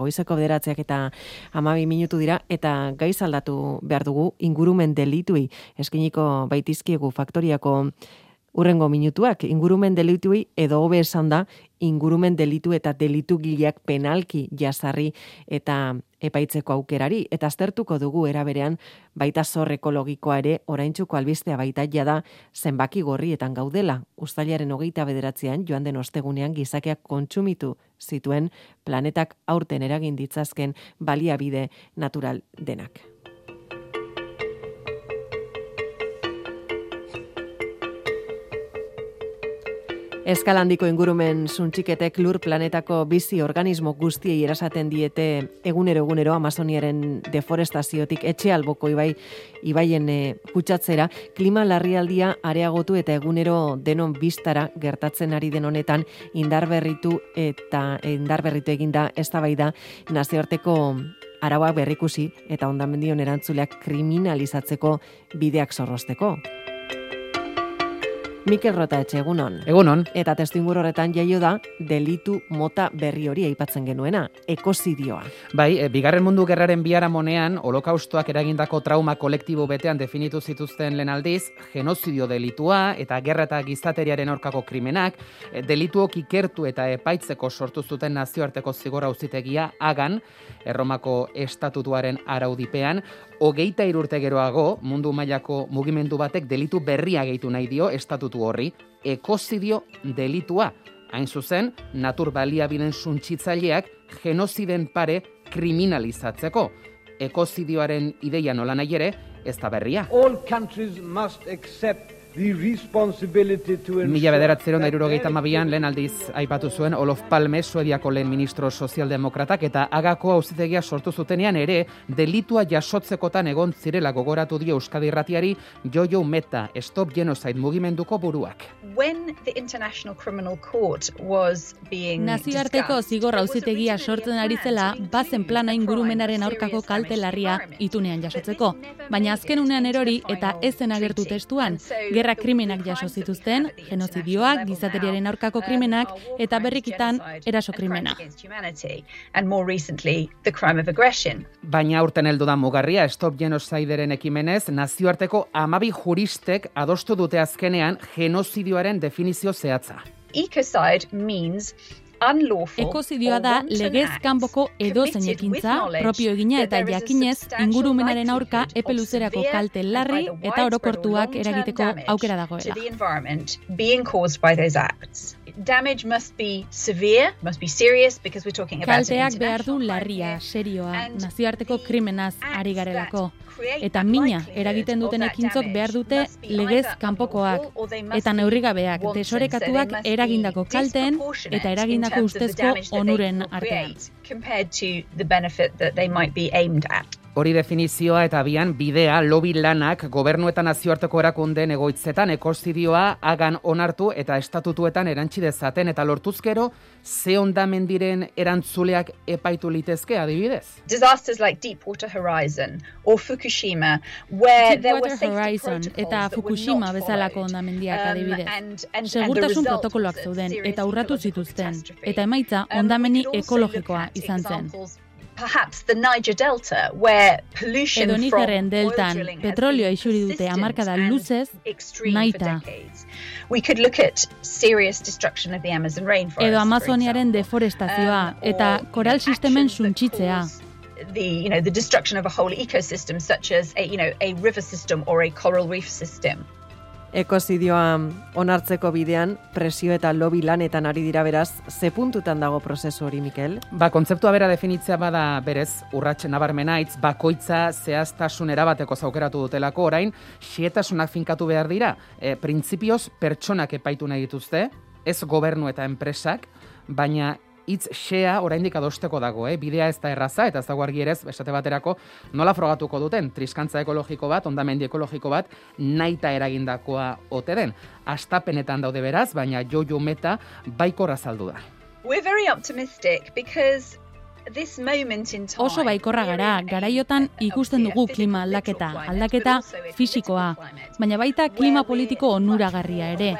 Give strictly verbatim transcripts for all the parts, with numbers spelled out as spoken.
goizeko bederatziak eta hamabi minutu dira, eta gaiz aldatu behar dugu ingurumen delitui eskiniko baitizkiegu faktoriako urrengo minutuak. Ingurumen delitui edo hobe esan da, ingurumen delitu eta delitu gileak penalki jasarri eta epaitzeko aukerari, eta aztertuko dugu eraberean baita zor ekologikoa ere oraintzuko albistea baita jada zenbaki gorrietan gaudela. Uztailaren hogeita bederatzean joan den ostegunean gizakiak kontsumitu zituen planetak aurten eragin ditzazken baliabide natural denak. Eskalandiko ingurumen suntsiketek lur planetako bizi organismo guztiei erasaten diete egunero egunero Amazoniaren deforestaziotik etxe alboko ibai ibaien e, kutsatzera, klima larrialdia areagotu eta egunero denon biztara gertatzen ari den honetan indarberritu eta indarberritu eginda eztabaida nazioarteko arauak berrikusi eta hondamendion erantzuleak kriminalizatzeko bideak zorrozteko. Mikel Rotaetxe, egunon. Egunon. Eta testuinguru horretan jaio da delitu mota berri hori aipatzen genuena, ekozidioa. Bai, e, bigarren mundu gerraren biharamonean, holokaustoak eragindako trauma kolektibo betean definitu zituzten lehen aldiz, genozidio delitua eta gerra eta gizateriaren aurkako krimenak, e, delituok ikertu eta epaitzeko sortu zuten nazioarteko zigor auzitegia Hagan, Erromako estatutuaren araudipean, hogeita hiru urte geroago, mundu mailako mugimendu batek delitu berria gehitu nahi dio estatutu horri, ekozidio delitua. Hain zuzen, natur baliabideen suntsitzaileak genoziden pare kriminalizatzeko. Ekozidioaren ideia nola nahi ere, ez da berria. All countries must accept the responsibility to ensure. Mila bederatzeron da hirurogeita hamabian lehen aldiz aipatu zuen Olof Palme, Suediako lehen ministro sozialdemokratak, eta Hagako auzitegia sortu zutenean ere delitua jasotzekotan egon zirela gogoratu dio Euskadi Irratiari Jojo Meta, Stop Genocide mugimenduko buruak. When the International Criminal Court was being Nazioarteko zigor auzitegia sortzen ari zela, bazen plana ingurumenaren aurkako kalte larria itunean jasotzeko, baina azken unean erori eta ez zen agertu testuan. Gerra krimenak jaso zituzten, genozidioak, gizateriaren aurkako krimenak eta berrikitan eraso krimena. Baina aurten heldu da mugarria, Stop Genocideren ekimenez, nazioarteko hamabi juristek adostu dute azkenean genozidioaren definizio zehatza. Ecocide means Ekozidioa da legez kanpoko edozein ekintza, propio egina eta jakinez ingurumenaren aurka epe luzerako kalte larri eta orokortuak eragiteko aukera dagoela. Damage must be severe, must be serious, because we're talking about Kalteak behar du larria, serioa, nazioarteko krimenaz ari garelako. Eta mina eragiten duten ekintzok behar dute legez kanpokoak eta neurrigabeak, desorekatuak eragindako kalteen eta eragindako ustezko onuren artean. Hori definizioa eta bian bidea lobby lanak gobernu eta nazioarteko erakundeen egoitzetan ekozidioa Hagan onartu eta estatutuetan erantsi dezaten eta lortuzkero ze hondamendiren erantzuleak epaitu litezke adibidez. Disasters like Deepwater Horizon or Fukushima, where there were Deepwater Horizon eta Fukushima bezalako hondamendiak adibidez. Segurtasun protokoloak zeuden eta urratu zituzten eta emaitza hondameni ekologikoa izan zen. Perhaps the Niger Delta, where pollution Edo from Nigerren oil deltan drilling has petrolioa been isuri dute persistent hamarkada and luzez extreme nahita. for decades. We could look at serious destruction of the Amazon rainforest. Edo for Amazoniaren example. deforestazioa Um, eta or, koral you know, sistemen actions that suntsitzea. cause The, you know, the destruction of a whole ecosystem, such as a, you know, a river system or a coral reef system. Ekozidioa onartzeko bidean, presio eta lobby lanetan ari dira beraz, ze puntutan dago prozesu hori, Mikel? Ba, kontzeptua bera definitzea bada berez, urrats nabarmena hitz bakoitza zehaztasun erabateko zaukeratu dutelako orain, xietasunak finkatu behar dira, e, printzipioz pertsonak epaitu nahi dituzte, ez gobernu eta enpresak, baina hitz xea oraindik adosteko dago, eh? Bidea ez da erraza, eta ez dago argi ere, esate baterako, nola frogatuko duten, triskantza ekologiko bat, hondamendi ekologiko bat, nahita eragindakoa ote den. Astapenetan daude beraz, baina Jojo Meta baikorra azaldu da. We're very optimistic because this moment in time, Oso baikorra gara, garaiotan ikusten dugu klima aldaketa, aldaketa fisikoa, baina baita klima politiko onuragarria ere.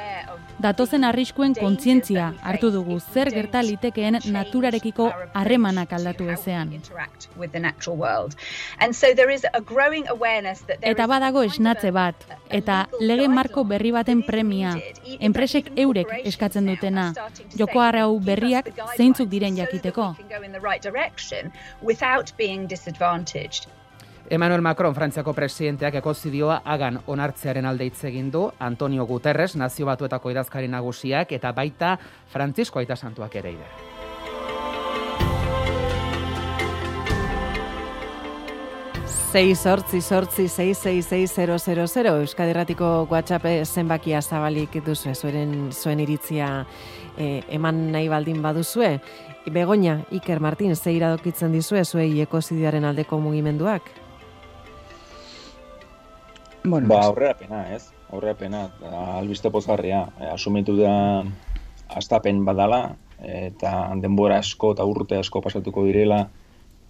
Datozen arriskuen kontzientzia hartu dugu zer gerta litekeen naturarekiko harremanak aldatu ezean. Eta badago esnatze bat, eta lege marko berri baten premia, enpresek eurek eskatzen dutena, joko arau berriak zeintzuk diren jakiteko. Emmanuel Macron, Frantziako presidenteak ekozidioa hagan onartzearen alde hitz egin du, Antonio Guterres, Nazio Batuetako idazkari nagusiak, eta baita Frantzisko Aita Santuak ere ide. sei zortzi zortzi sei sei sei zero zero zero Euskadi Irratiko WhatsApp zenbakia zabalik duzu, zuen zuen iritzia eh, eman nahi baldin baduzue. Begoña, Iker Martin, ze iradokitzen dizue zuei ekozidioaren aldeko mugimenduak? Bueno, ba, aurrerapena, ez? Aurrerapena, albiste pozgarria. E, asumitu da astapen badala, eta denbora asko eta urte asko pasatuko direla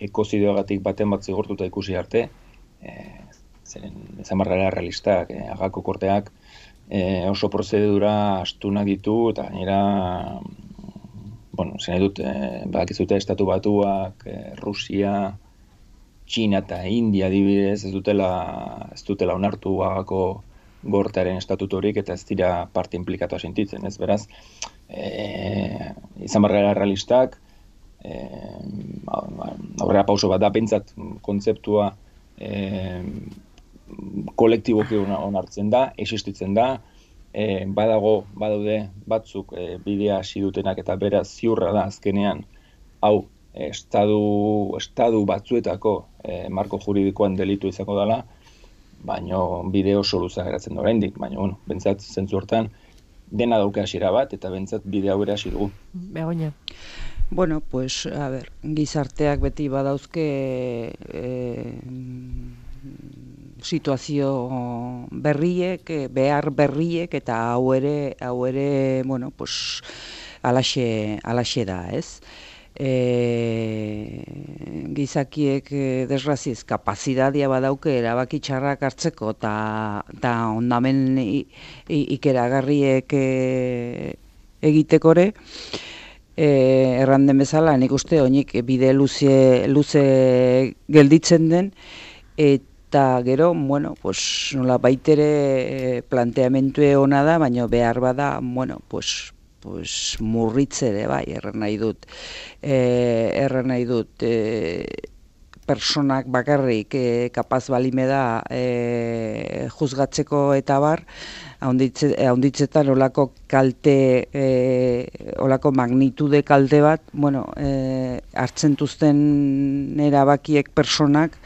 ekozidioagatik baten bat zigortuta ikusi arte. E, zeren, zamargara realistak, e, agako korteak e, oso prozedura astunak ditu, eta gainera, bueno, zen edut, e, badakizute Estatu Batuak, e, Rusia, China eta India adibidez ez dutela, ez dutela onartu agako gortearen estatutorik eta ez dira parte implikatu sentitzen, ez beraz, e, izan barrera realistak, e, aurrera pauso bat da, pentsat kontzeptua e, kolektiboki onartzen da, existitzen da, e, badago, badaude batzuk e, bidea hasi dutenak eta beraz ziurra da azkenean, hau, Estadu, estadu batzuetako eh, marko juridikoan delitu izango dela, baina bide oso luza geratzen da oraindik, baina bueno, bentsat zentzu hortan dena dauke hasiera bat eta bentsat bide hau ere hasi dugu. Begoña. Bueno, pues a ver, gizarteak beti badauzke eh, situazio berriek, behar berriek eta hau ere, hau ere, bueno, pues alaxe, alaxe da, ez? E, gizakiek e, desgraziez kapazidadia badauke erabaki txarrak hartzeko eta ondamen ikeragarriek e, egitekore e, erranden bezala nik uste oinik bide luze, luze gelditzen den eta gero, bueno, pues nola baitere planteamentue ona da, baina behar bada, bueno, pues pues murritzere bai, erran nahi dut. E, erran nahi dut, e, personak bakarrik e, kapaz balime da e, juzgatzeko eta bar, haunditzetan olako kalte, e, olako magnitude kalte bat, bueno, e, hartzen duzten erabakiek personak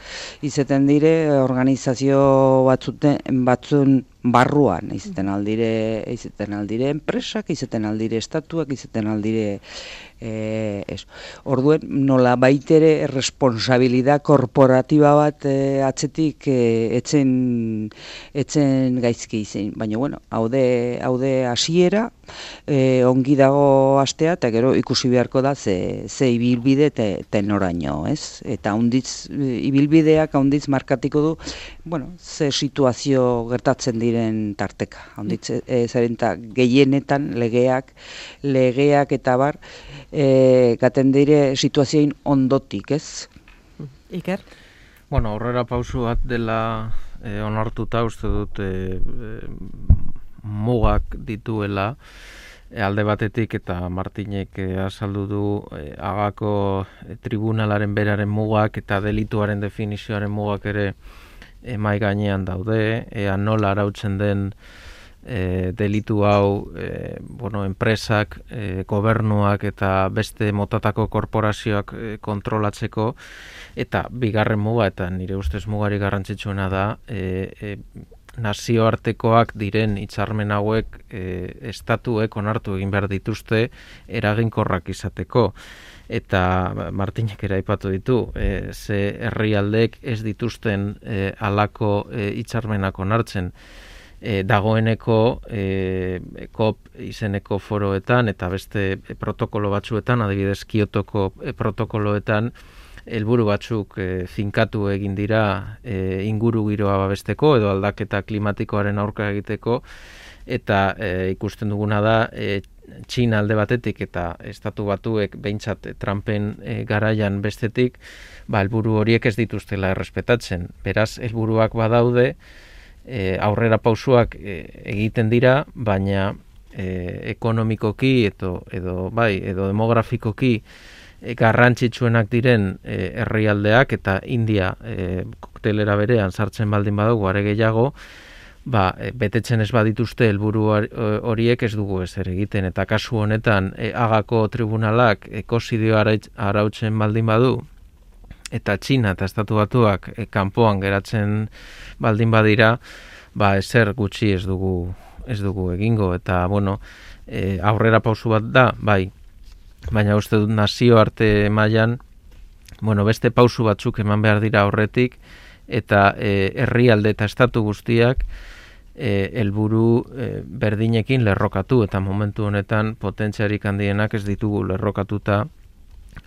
izaten dire organizazio batzuten, batzun barruan, izaten aldire, izaten aldire enpresak, izaten aldire estatuak, izaten aldire eh, es. Orduen, nola baitere responsabilidad korporatiba bat eh, atzetik eh, etzen, etzen gaizki izen. Baina, bueno, haude, haude hasiera, eh, ongi dago astea, eta gero ikusi beharko da ze, ze ibilbide te, tenoraino, ez? Eta haunditz, ibilbideak haunditz markatiko du, bueno, ze situazio gertatzen diren tarteka. Haunditz, e, zerenta gehienetan legeak, legeak eta bar, e, gaten dire situazioin ondotik, ez? Iker? Bueno, aurrera pausu bat dela e, onartuta uste dut e, e, mugak dituela, e, alde batetik eta Martinek e, azaldu du e, agako e, tribunalaren beraren mugak eta delituaren definizioaren mugak ere e, mai gainean daude, ea nola arautzen den e, delitu hau e, bueno, enpresak, e, gobernuak eta beste motatako korporazioak e, kontrolatzeko, eta bigarren muga, eta nire ustez mugari garrantzitsuena da, e, e, nazioartekoak diren hitzarmen hauek e, estatuek onartu egin behar dituzte eraginkorrak izateko. Eta Martinek ere aipatu ditu, e, ze herrialdek ez dituzten e, alako e, hitzarmenak onartzen e, dagoeneko e, COP izeneko foroetan eta beste e, protokolo batzuetan, adibidez Kiotoko e, protokoloetan, helburu batzuk e, finkatu egin dira e, inguru giroa babesteko edo aldaketa klimatikoaren aurka egiteko, eta e, ikusten duguna da e, Txina alde batetik eta estatu batuek behintzat Trumpen e, garaian bestetik, ba, helburu horiek ez dituztela errespetatzen. Beraz, helburuak badaude, e, aurrera pausuak e, egiten dira, baina e, ekonomikoki edo, edo, bai, edo demografikoki e, garrantzitsuenak diren e, herrialdeak eta India e, koktelera berean sartzen baldin badugu are gehiago, ba, betetzen ez badituzte helburu horiek ez dugu ezer egiten, eta kasu honetan e, Hagako tribunalak ekozidio arautzen baldin badu, eta Txina eta Estatu Batuak e, kanpoan geratzen baldin badira, ba, ezer gutxi ez dugu ez dugu egingo, eta bueno, e, aurrera pausu bat da, bai, baina uste dut nazioarte mailan, bueno, beste pausu batzuk eman behar dira horretik, eta e, herrialde eta estatu guztiak e, helburu e, berdinekin lerrokatu, eta momentu honetan potentziarik handienak ez ditugu lerrokatuta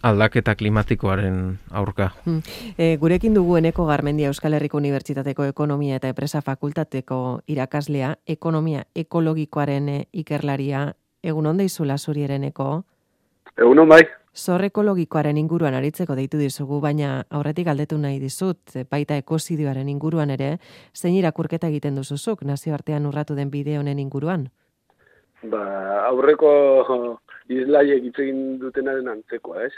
aldaketa klimatikoaren aurka. Hmm. E, gurekin dugu Eneko Garmendia Euskal Herriko Unibertsitateko Ekonomia eta Enpresa Fakultateko irakaslea, ekonomia ekologikoaren e, ikerlaria. Egun on deizula zuri Eneko? Egun on bai. Zor ekologikoaren inguruan aritzeko deitu dizugu, baina aurretik galdetu nahi dizut, baita ekozidioaren inguruan ere, zein irakurketa egiten duzuzuk nazioartean urratu den bide honen inguruan? Ba, aurreko islaiek hitz egin dutenaren antzekoa, ez?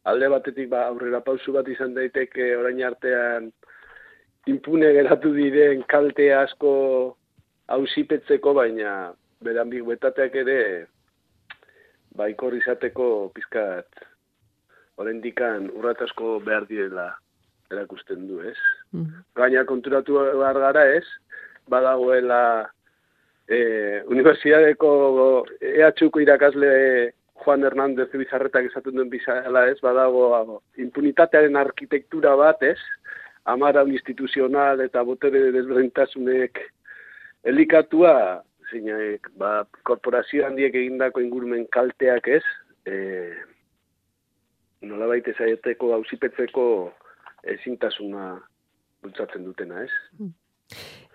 Alde batetik ba, aurrera pausu bat izan daiteke orain artean impune geratu diren kalte asko auzipetzeko, baina bere ambiguetateak ere baikor izateko pizkat oraindikan urrats asko behar direla erakusten du, ez? Mm-hmm. Gaina konturatu behar gara, ez? Badagoela eh, Unibertsitateko E H Uko irakasle Juan Hernández Bizarretak esaten duen bizala, ez? Badago impunitatearen arkitektura bat, ez? Amara instituzional eta botere desberdintasunek elikatua, zeinak, ba, korporazio handiek egindako ingurumen kalteak, ez? E, nolabait ezaieteko, auzipetzeko ezintasuna bultzatzen dutena, ez?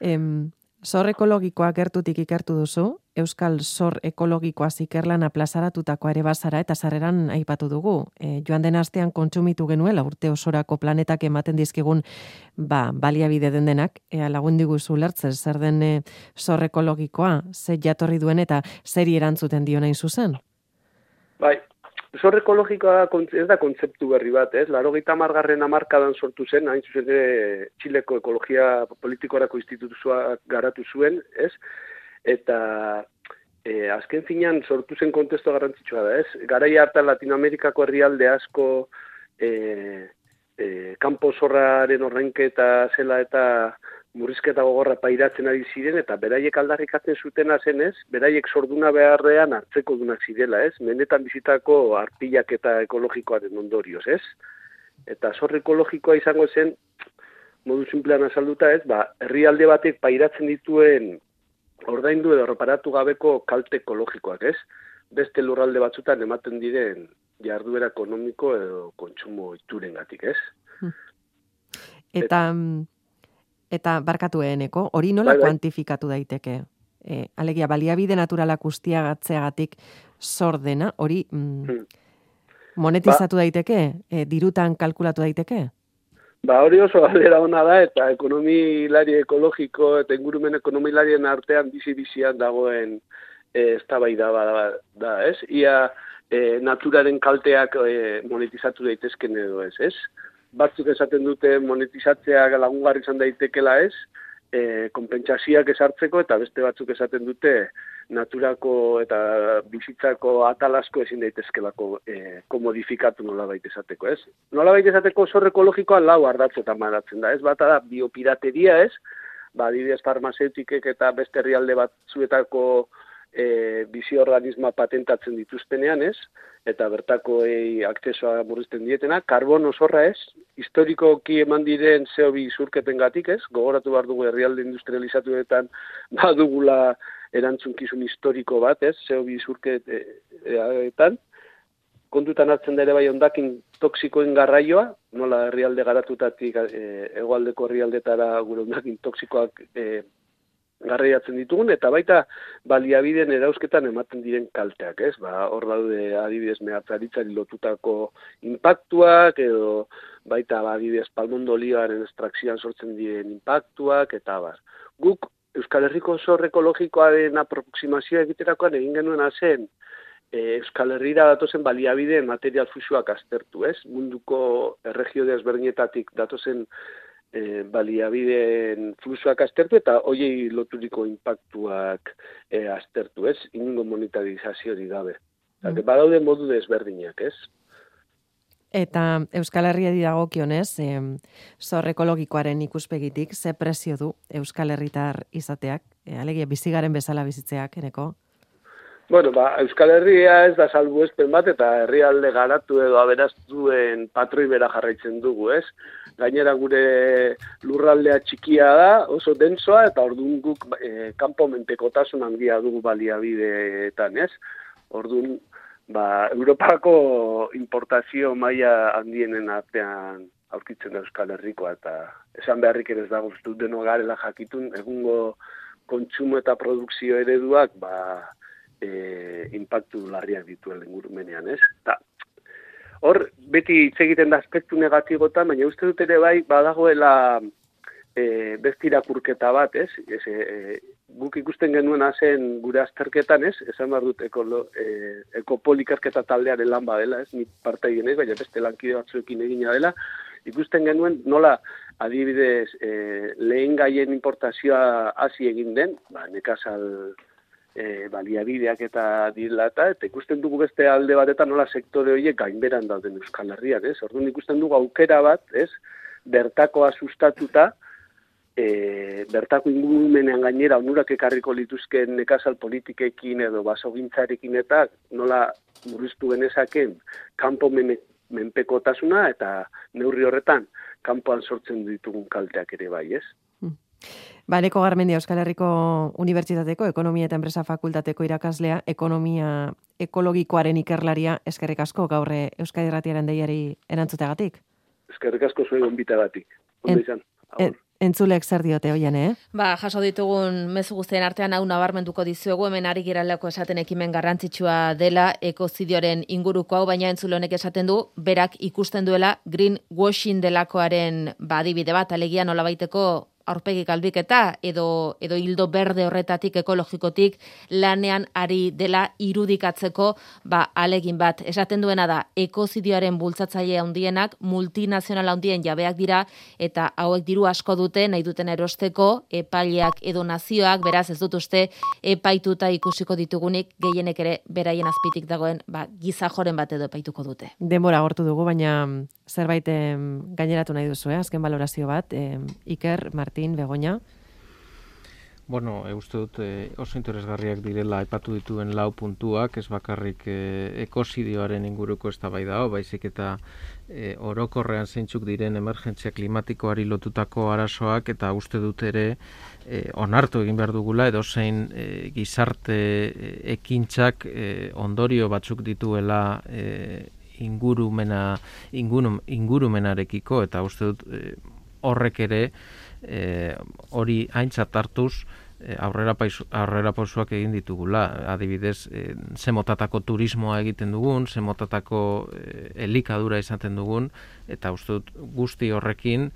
Em, zor ekologikoa gertutik ikertu duzu, Euskal Zor Ekologikoa ikerlana plazaratutako ere bazara eta sarreran aipatu dugu. E, joan den astean kontsumitu genuela urte osorako planetak ematen dizkigun ba, baliabide den denak, ea lagundu guzu lertzen zer den e, zor ekologikoa, ze jatorri duen eta zeri erantzuten dio nahi zuzen? Bai, zor ekologikoa ez da kontzeptu berri bat, ez? Laurogeita hamargarren hamarkadan sortu zen, hain zuzen ere Txileko Ekologia Politikorako Institutua garatu zuen, ez? Eta e, azken finean sortu zen kontestu garrantzitsua da, ez? Garai hartan Latinoamerikako herrialde asko e, e, kanpo zorraren orrainketa zela eta murrizketa gogorra pairatzen ari ziren, eta beraiek aldarrikatzen zutena zen, ez? Beraiek zorduna beharrean hartzeko dunak zirela, ez? Mendetan bizitako arpilak eta ekologikoaren ondorioz, ez? Eta zor ekologikoa izango zen, modu sinplean azalduta, ez? Ba, herrialde batek pairatzen dituen ordaindu edo reparatu gabeko kalte ekologikoak, ez? Beste lurralde batzutan ematen diren jarduera ekonomiko edo kontsumo iturengatik, ez? Eta eta barkatu Eneko, hori nola bai, bai. kuantifikatu daiteke? E, alegia baliabide naturalak ustiagatzeagatik zor dena, hori mm, hmm. monetizatu ba. daiteke? E, dirutan kalkulatu daiteke? Ba, hori oso galdera ona da, eta ekonomilari ekologiko eta ingurumen ekonomilarien artean bizi-bizian dagoen e, eztabaida da, da, ez? Ia e, naturaren kalteak e, monetizatu daitezken edo ez, ez? Batzuk esaten dute monetizatzeak lagungarri izan daitekela, ez? E, konpentsazioak esartzeko, eta beste batzuk esaten dute naturako eta bizitzako atal asko ezin daitezkelako e, komodifikatu nolabait esateko, ez? Nolabait esateko zor ekologikoa lau ardatzetan maratzen da, ez? Bata da biopirateria, ez? Ba, adibidez farmazeutikek eta beste herrialde batzuetako e, bizi-organismoa patentatzen dituztenean, ez? Eta bertako e, akzesoa murrizten dietena, karbono zorra, ez? Historikoki eman diren C O bi isurketengatik, ez? Gogoratu behar dugu herrialde industrializatuetan badugula erantzunkizun historiko bat, ez? C O bi isurketetan. Kontutan hartzen da ere bai hondakin toksikoen garraioa, nola herrialde garatutatik e, hegoaldeko herrialdetara gure hondakin toksikoak e, garraiatzen ditugun, eta baita baliabideen erauzketan ematen diren kalteak, ez? Ba, hor daude adibidez mehatzaritzari lotutako impactuak, edo baita ba, adibidez palmondo olioaren estrakzioan sortzen diren impactuak, eta bar. Guk Euskal Herriko zor ekologikoaren aproximazioa egiterakoan egin genuena zen, e, Euskal Herrira datozen baliabideen material fluxuak aztertu, ez? Munduko erregio desberdinetatik datozen E, baliabideen fluxuak aztertu eta hoiei loturiko impactuak e, aztertu, ez? Inungo monetarizazioari gabe. Mm. Badaude modu desberdinak, ez? Eta Euskal Herriari dagokionez, e, zor ekologikoaren ikuspegitik, ze prezio du Euskal Herritar izateak? E, alegia bizigaren bezala bizitzeak, eneko? Bueno, ba, Euskal Herria ez da salbuespen bat eta herrialde garatu edo aberastuen patroi bera jarraitzen dugu, ez? Gainera gure lurraldea txikia da, oso dentsoa, eta orduan guk e, kanpo menpekotasun handia dugu baliabideetan, ez? Orduan, ba, Europako importazio maila handienen artean aurkitzen da Euskal Herrikoa, eta esan beharrik ere ez dago, ez dut deno garela jakitun, egungo kontsumo eta produkzio ereduak, ba, e, impactu larriak dituen ingurumenean, ez? Ta, hor, beti hitz egiten da aspektu negatibotan, baina uste dut ere bai, badagoela e, beste irakurketa bat, ez? ez e, guk ikusten genuena zen gure azterketan, ez? Esan behar dut ekolo, e, ekopolikarketa taldearen lan badela, ez? Ni partaien ez, baina beste lankide batzuekin egina dela. Ikusten genuen nola adibidez e, lehen gaien importazioa hasi egin den, ba, nekazal E, baliabideak eta dilata, eta ikusten dugu beste alde batetan nola sektore horiek gainberan dauden Euskal Herrian, ez? Orduan ikusten dugu aukera bat, ez? Bertakoa sustatuta, e, bertako ingurumenean gainera onurak ekarriko lituzken nekazal politikekin edo basogintzarekin eta nola murriztu genezaken kanpo menpekotasuna eta neurri horretan kanpoan sortzen ditugun kalteak ere bai, ez? Ba, Eneko Garmendia, Euskal Herriko Unibertsitateko Ekonomia eta Enpresa Fakultateko irakaslea, ekonomia ekologikoaren ikerlaria, eskerrik asko gaur Euskadi Irratiaren deiari erantzuteagatik. Eskerrik asko zuen gonbitagatik. Ondo izan. En, entzulek zer diote hoian, eh? Ba, jaso ditugun mezu guztien artean hau nabarmenduko dizuegu, hemen ari giraleko esaten ekimen garrantzitsua dela ekozidioaren inguruko hau, baina entzule honek esaten du, berak ikusten duela greenwashing delakoaren badibide bat, alegia nolabaiteko aurpegi galbiketa edo edo hildo berde horretatik ekologikotik lanean ari dela irudikatzeko ba alegin bat. Esaten duena da ekozidioaren bultzatzaile handienak multinazional handien jabeak dira eta hauek diru asko dute nahi duten erosteko epaileak edo nazioak, beraz ez dut uste epaituta ikusiko ditugunik gehienek ere beraien azpitik dagoen ba gizajoren bat edo epaituko dute. Denbora agortu dugu, baina zerbait gaineratu nahi duzu, eh? Azken balorazio bat, eh, Iker, Martin, Begoña. Bueno, e, uste dut e, oso interesgarriak direla aipatu dituen lau puntuak, ez bakarrik e, ekozidioaren inguruko eztabaida hau, baizik eta e, orokorrean zeintzuk diren emergentzia klimatikoari lotutako arazoak, eta uste dut ere e, onartu egin behar dugula edozein e, gizarte e, ekintzak e, ondorio batzuk dituela e, ingurumena ingurum, ingurumenarekiko, eta uste dut e, horrek ere e, hori aintzat hartuz e, aurrera paisu, aurrera pausuak egin ditugula. Adibidez, e, ze motatako turismoa egiten dugun, ze motatako e, elikadura izaten dugun, eta uste dut guzti horrekin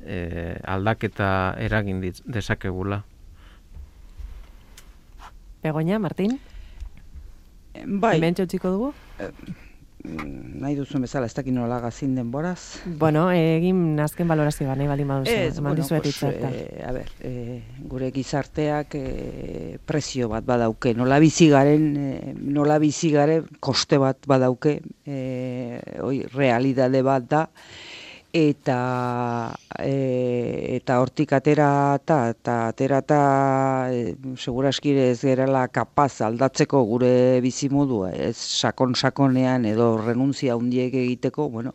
e, aldaketa eragin dezakegula. Begoña, Martin? Bai. Hemen txotxiko dugu? Eh, nahi duzun bezala, ez dakit nola gazin denboraz. Bueno, egin azken balorazioa, nahi baldin baduzu. Ez, bueno, pues, eh, a ber, eh, gure gizarteak eh, prezio bat badauke, nola bizi garen, eh, nola bizi garen koste bat badauke, eh, oi, realidade bat da, eta e, eta hortik atera eta eta atera eta e, seguraski ez gerala kapaz aldatzeko gure bizimodua, ez sakon-sakonean edo renuntzia handiek egiteko, bueno,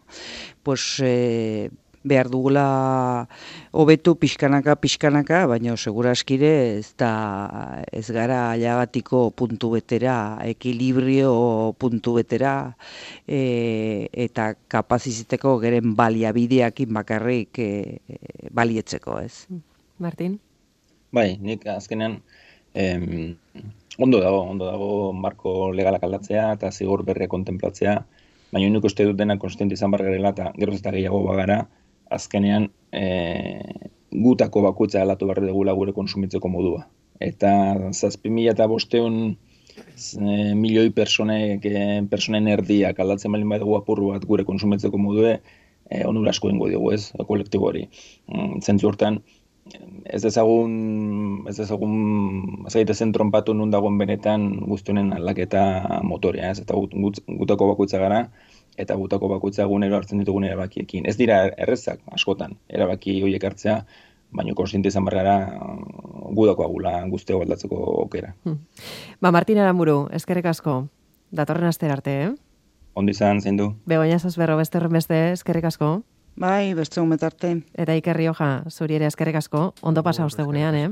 pues e, behar dugula hobetu pixkanaka pixkanaka, baina seguraski ez da ez gara ailagatiko puntu betera, ekilibrio puntu betera, e, eta kapaz izateko geren baliabideakin bakarrik e, balietzeko, ez. Martin? Bai, nik azkenean em, ondo dago, ondo dago marko legalak aldatzea eta zigor berria kontemplatzea, baina nik uste dut dena konstiente izan bar garela eta geroz eta gehiago bagara, azkenean e, gutako bakoitza aldatu behar dugula gure konsumitzeko modua. Eta zazpi mila eta bosteun e, milioi personek, e, personen erdiak aldatzen balin badugu apurru bat gure konsumitzeko modue, e, onura asko ingo dugu ez, kolektibo hori. Mm, zentzu hortan, ez ezagun, ez ezagun, ez gaitezen tronpatu nun dagoen benetan guztionen aldaketa motorea, ez, eta gut, gut, gutako bakoitza gara, eta gutako bakoitza egunero hartzen ditugun erabakiekin. Ez dira errezak, askotan, erabaki horiek hartzea, baina konstiente izan barrara gudako agula guztio aldatzeko okera. Hmm. Ba, Martin Aramburu, eskerrik asko, datorren astera arte, eh? Ondo izan, zein du? Begoña Zazberro, beste horren beste, eskerrik asko. Bai, beste hometarte. Eta Iker Rioja, zuri ere eskerrik asko, ondo pasa ostegunean, eh?